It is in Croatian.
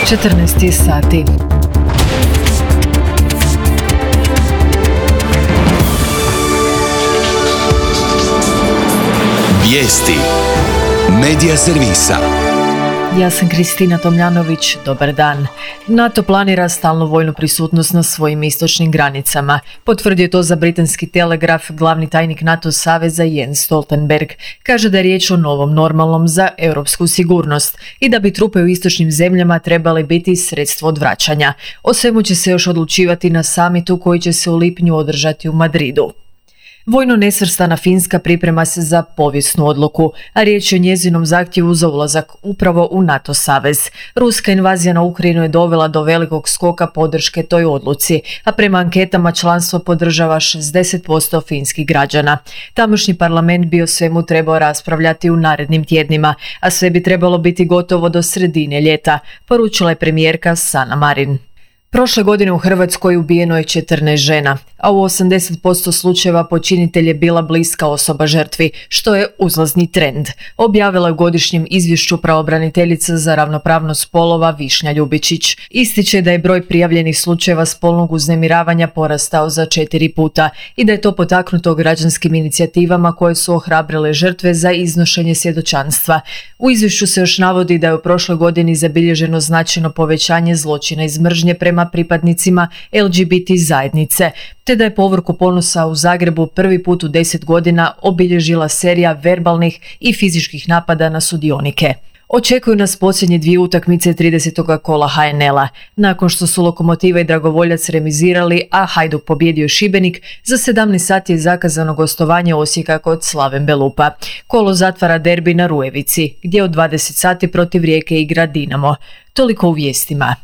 14 sati. Vijesti Medija servisa. Ja sam Kristina Tomljanović, dobar dan. NATO planira stalnu vojnu prisutnost na svojim istočnim granicama. Potvrdio je to za britanski Telegraf glavni tajnik NATO saveza Jens Stoltenberg. Kaže da je riječ o novom normalnom za europsku sigurnost i da bi trupe u istočnim zemljama trebale biti sredstvo odvraćanja. O svemu će se još odlučivati na samitu koji će se u lipnju održati u Madridu. Vojno nesvrstana Finska priprema se za povijesnu odluku, a riječ je o njezinom zahtjevu za ulazak upravo u NATO savez. Ruska invazija na Ukrajinu je dovela do velikog skoka podrške toj odluci, a prema anketama članstvo podržava 60% finskih građana. Tamošnji parlament bi o svemu trebao raspravljati u narednim tjednima, a sve bi trebalo biti gotovo do sredine ljeta, poručila je premijerka Sanna Marin. Prošle godine u Hrvatskoj ubijeno je 14 žena, a u 80% slučajeva počinitelj je bila bliska osoba žrtvi, što je uzlazni trend, objavila je u godišnjem izvješću pravobraniteljica za ravnopravnost spolova Višnja Ljubičić. Ističe da je broj prijavljenih slučajeva spolnog uznemiravanja porastao za 4 puta i da je to potaknuto građanskim inicijativama koje su ohrabrile žrtve za iznošenje svjedočanstva. U izvješću se još navodi da je u prošloj godini zabilježeno značajno povećanje zločina iz mržnje prema pripadnicima LGBT zajednice, te da je povorku ponosa u Zagrebu prvi put u 10 godina obilježila serija verbalnih i fizičkih napada na sudionike. Očekuju nas posljednje 2 utakmice 30. kola HNL-a. Nakon što su Lokomotiva i Dragovoljac remizirali, a Hajduk pobjedio Šibenik, za 17 sati je zakazano gostovanje Osijeka kod Slaven Belupa. Kolo zatvara derbi na Rujevici, gdje od 20 sati protiv Rijeke igra Dinamo. Toliko u vijestima.